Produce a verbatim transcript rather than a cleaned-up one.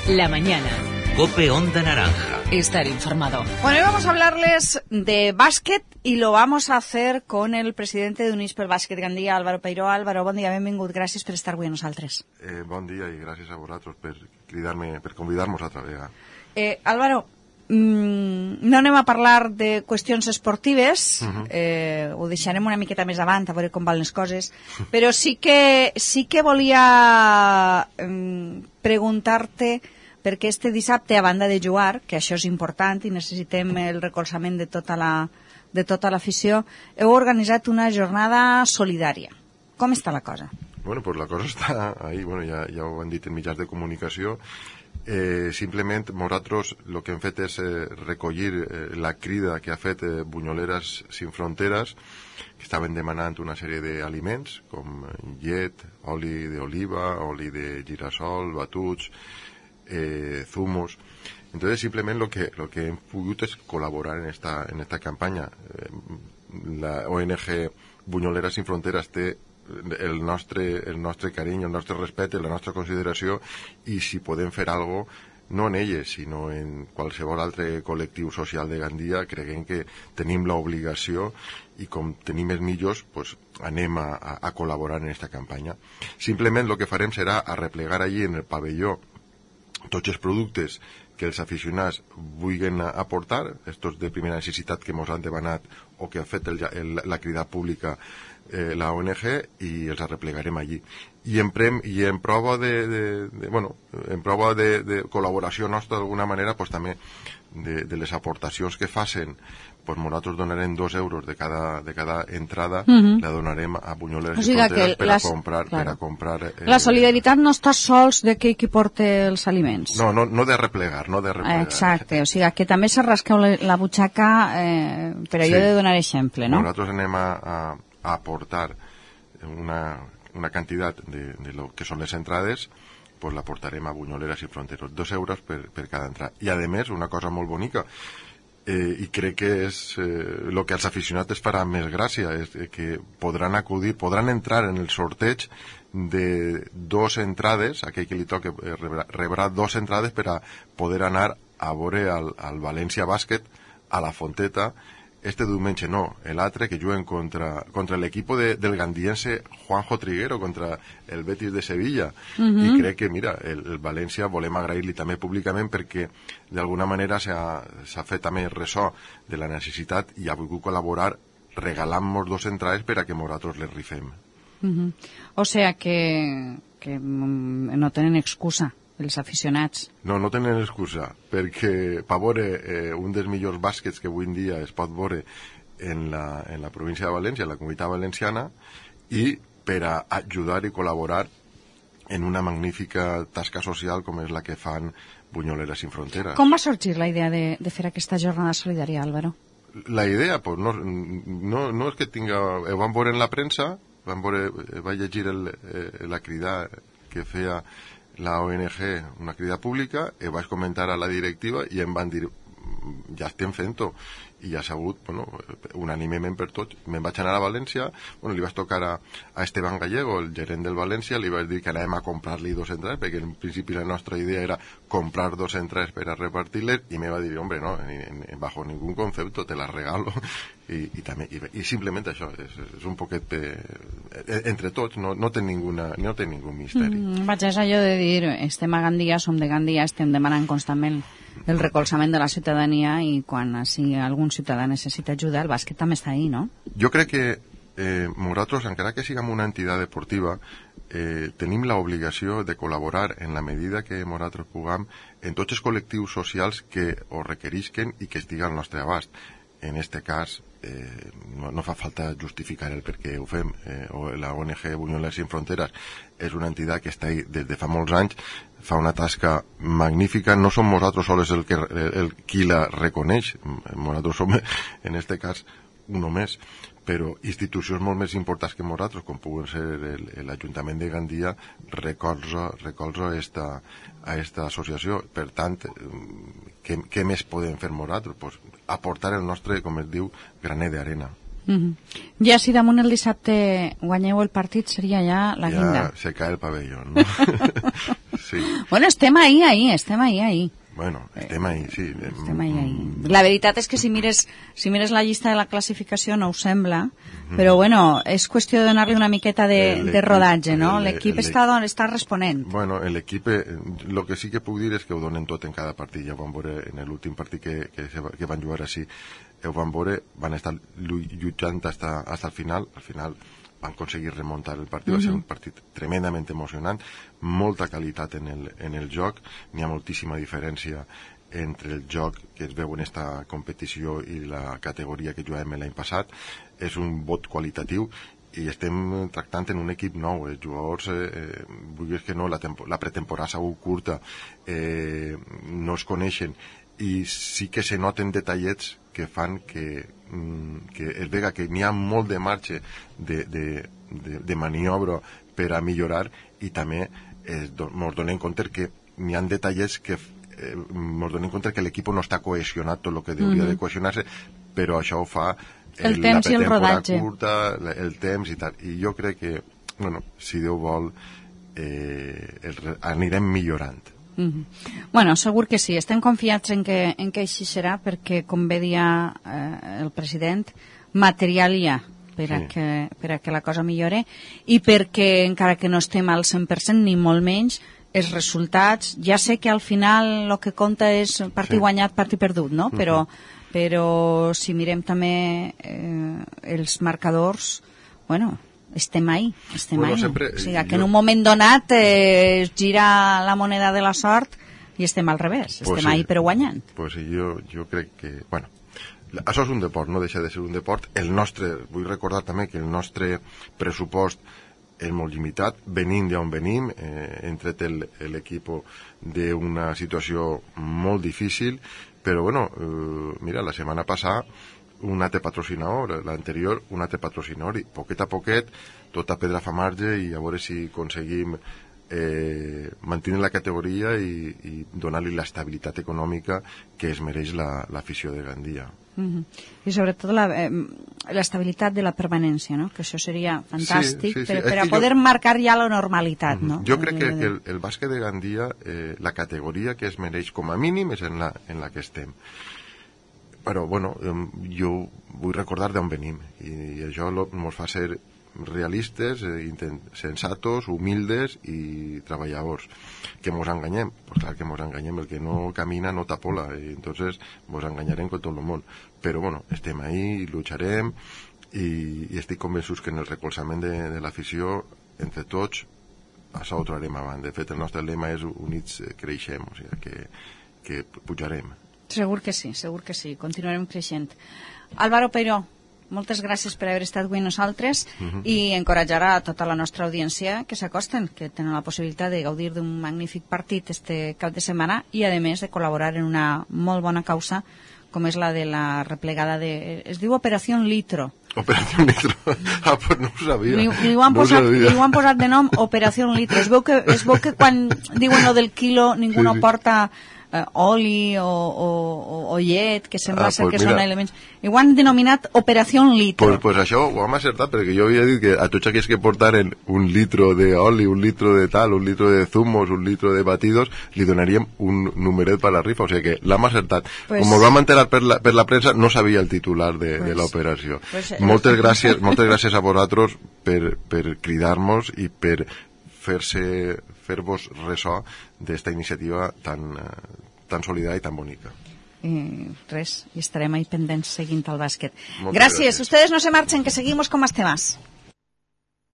La mañana. COPE Onda Naranja. Estar informado. Bueno, hoy vamos a hablarles de básquet y lo vamos a hacer con el presidente d'Units pel Bàsquet Gandia, Álvaro Peiró. Álvaro, bon dia, benvingut. Gràcies per estar avui amb nosaltres. Eh, bon dia i gràcies a vosaltres per cridar-me, per convidar-nos altra vegada. Eh, Álvaro, mm, no anem a parlar de qüestions esportives, uh-huh. eh, ho deixarem una miqueta més avant, a veure com van les coses, però sí que, sí que volia eh, preguntar-te perquè este dissabte, a banda de jugar, que això és important i necessitem el recolzament de tota la, de tota l'afició, heu organitzat una jornada solidària. Com està la cosa? Bueno, pues la cosa està ahí, bueno, ja, ja ho han dit en mitjans de comunicació. Eh, simplement, nosaltres el que hem fet és eh, recollir eh, la crida que ha fet eh, Bunyoleres Sin Fronteres, que estaven demanant una sèrie d'aliments, com llet, oli d'oliva, oli de girassol, batuts, Eh, zumos. Entonces simplemente lo que lo que hem pogut es colaborar en esta en esta campaña. Eh, la O N G Bunyoleres Sin Fronteres té el nostre el nostre carinyo, el nostre respecte, la nostra consideració, i si podem fer algo no en elles, sinó en qualsevol altre col·lectiu social de Gandia, creguem que tenim l'obligació, i com tenim més millors, pues, anem a, a, a col·laborar en esta campanya. Simplement el que farem serà arreplegar allí en el pavelló tots els productes que els aficionats vulguin aportar, estos de primera necessitat que ens han demanat o que ha fet el, el, la crida pública eh, la O N G, i els arreplegarem allí. I en, prem, i en prova de, de, de bueno, en prova de, de col·laboració nostra d'alguna manera, pues, també de, de les aportacions que facin, pues nosaltres donarem dos euros de cada, de cada entrada, uh-huh. la donarem a Bunyoleres o sigui Sin Fronteres per, les, a comprar, claro. per a comprar... Eh, la solidaritat no està sols de qui, qui porta els aliments. No, no, no de replegar, no de replegar. Exacte, o sigui que també se rasqueu la, la butxaca eh, per allò sí. de donar exemple, no? Nosaltres anem a, a, a aportar una, una quantitat de, de lo que són les entrades, pues la portarem a Bunyoleres Sin Fronteres, dos euros per, per cada entrada. I a més, una cosa molt bonica, eh, i crec que és el eh, que als aficionats es farà més gràcia, és que podran acudir, podran entrar en el sorteig de dos entrades, aquell que li toque eh, rebrà, rebrà dos entrades per a poder anar a veure al, al València Bàsquet a la Fonteta este diumenge, no, l'altre, que juguen contra, contra l'equip de, del gandiense Juanjo Triguero, contra el Betis de Sevilla. Uh-huh. I crec que, mira, el, el València volem agrair-li també públicament perquè d'alguna manera s'ha, s'ha fet també ressò de la necessitat i ha volgut col·laborar regalant-nos dos entrades per a que nosaltres les rifem. Uh-huh. O sea que, que no tenen excusa els aficionats. No, no tenen excusa, perquè per veure eh, un dels millors bàsquets que avui en dia es pot veure en la, en la província de València, en la comunitat valenciana, i per a ajudar i col·laborar en una magnífica tasca social com és la que fan Bunyoleres Sin Fronteres. Com va sorgir la idea de, de fer aquesta jornada solidària, Álvaro? La idea, pues, no, no, no és que tinga... Ho van veure en la premsa, van veure, va llegir el, eh, la crida que feia la O N G, una crida pública, i vaig comentar a la directiva i em van dir, ja estem fent-ho, i ja s'ha hagut, bueno, unànimement per tots. Me'n vaig anar a València, bueno, li vaig tocar a, a Esteban Gallego, el gerent del València, li vaig dir que anàvem a comprar-li dos entrades, perquè en principi la nostra idea era comprar dos entrades per a repartir-les, i me va dir, hombre, no, en, en, bajo ningún concepto, te las regalo. I, i, també, i, i simplement això, és, és un poquet de, entre tots, no, no té ninguna, no té ningú misteri. Mm, vaig, és allò de dir, estem a Gandia, som de Gandia, estem demanant constantment el recolzament de la ciutadania, i quan si algun ciutadà necessita ajuda, el bàsquet també està ahí, no? Jo crec que eh, nosaltres, encara que siguem una entitat deportiva, eh, tenim l'obligació de col·laborar en la medida que nosaltres puguem en tots els col·lectius socials que ho requerisquen i que estiguen al nostre abast. En este cas, eh, no, no fa falta justificar el per què ho fem. Eh, la O N G Bunyoleres Sin Fronteres és una entitat que està ahí des de fa molts anys, fa una tasca magnífica. No som nosaltres sols el que, el, el qui la reconeix, nosaltres som, en este cas, un més, però institucions molt més importants que nosaltres, com puguen ser l'Ajuntament de Gandia, recolza, recolza esta, a esta associació. Per tant, què, què més podem fer nosaltres? Pues aportar el nostre, com es diu, graner d'arena. Mm-hmm. Ja si damunt el dissabte guanyeu el partit, seria ja la guinda. Ja se cae el pavelló, no? Sí. Bueno, estem ahí, ahí, estem ahí, ahí. Bueno, estem ahí, sí. Estem ahí, ahí. La veritat és que si mires, si mires la llista de la classificació no ho sembla, però bueno, és qüestió de donar-li una miqueta de, de rodatge, no? L'equip està, està responent. Bueno, l'equip, el que sí que puc dir és que ho donen tot en cada partit. Ja ho van veure en l'últim partit que, que, que van jugar així. Ho van veure, van estar lluitant hasta, hasta el final. Al final van aconseguir remuntar el partit. Va ser un partit tremendament emocionant, molta qualitat en el, en el joc. N'hi ha moltíssima diferència entre el joc que es veu en esta competició i la categoria que jugàvem l'any passat. És un vot qualitatiu i estem tractant en un equip nou. Els jugadors, eh, vulguis que no, la, la pretemporada s'ha sigut curta, eh, no es coneixen i sí que se noten detallets que fan que, que es vega que n'hi ha molt de marge de, de, de, de maniobra per a millorar i també ens donem compte que n'hi ha detallets que eh, ens donem compte que l'equip no està cohesionat tot el que hauria mm-hmm. de cohesionar-se, però això ho fa el, el temps i el rodatge curta, el temps i tal, i jo crec que bueno, si Déu vol eh, el, anirem millorant. Mm-hmm. Bueno, segur que sí, estem confiats en que, en que així serà perquè, com bé dia eh, el president, material hi ha per a, sí. que, per a que la cosa millore i perquè, encara que no estem al cent per cent ni molt menys, els resultats, ja sé que al final el que compta és partit sí. guanyat, partit perdut, no? Mm-hmm. Però, però si mirem també eh, els marcadors, bueno, estem ahí, estem bueno, ahí. Sempre, o sigui, que jo... en un moment donat eh, es gira la moneda de la sort i estem al revés, pues estem sí. ahí però guanyant. Pues sí, jo, jo crec que, bueno, això és un deport, no deixa de ser un deport. El nostre, vull recordar també que el nostre pressupost és molt limitat, venim d'on venim, eh, hem tret l'equip d'una situació molt difícil, però bueno, eh, mira, la setmana passada un altre patrocinador, l'anterior un altre patrocinador, i poquet a poquet tota pedra fa marge i a veure si aconseguim eh, mantenir la categoria i, i donar-li l'estabilitat econòmica que es mereix l'afició la, de Gandia. Mm-hmm. I sobretot l'estabilitat de la permanència, no? Que això seria fantàstic sí, sí, sí. per, per a poder jo... marcar ja la normalitat. Mm-hmm. No? Jo crec que, que el, el bàsquet de Gandia, eh, la categoria que es mereix com a mínim és en la, en la que estem. Però, bueno, jo vull recordar d'on venim i, i això ens fa ser realistes, eh, intent, sensatos, humildes i treballadors. Que mos enganyem? Pues clar que mos enganyem, el que no camina no tapola, i entonces mos enganyarem con tot el món. Però, bueno, estem ahí, lucharem i, i estic convençut que en el recolzament de, de l'afició, entre tots, això ho trobarem avant. De fet, el nostre lema és units creixem, o sigui que, que pujarem. Segur que sí, segur que sí, continuarem creixent. Álvaro Peiró, moltes gràcies per haver estat avui amb nosaltres uh-huh. i encoratjar a tota la nostra audiència que s'acosten, que tenen la possibilitat de gaudir d'un magnífic partit este cap de setmana i, a més, de col·laborar en una molt bona causa com és la de la replegada de... Es diu Operació Litro. Operació Litro? Ah, pues no ho sabia. Li, li, ho han no posat, li ho han posat de nom Operació Litro. Es veu que, es veu que quan diuen lo del quilo ningú sí, no sí. porta... Uh, oli o, o, o llet, que sembla ah, ser pues que mira, són elements... I ho han denominat Operació Litro. Pues, pues això ho hem acertat, perquè jo havia dit que a tots aquells que portaren un litro d'oli, un litro de tal, un litro de zumos, un litro de batidos, li donaríem un numeret per la rifa, o sigui que l'hem acertat. Pues, com ho vam enterar per la, per la premsa, no sabia el titular de, pues, de l'operació. Pues, moltes, gràcies, moltes gràcies a vosaltres per, per cridar-nos i per fer-se fer-vos ressò d'esta iniciativa tan, tan solidària i tan bonica. Eh, res, i estarem ahí pendents seguint el bàsquet. Moltes gràcies. gràcies. Ustedes no se marchen, que seguimos con más temas.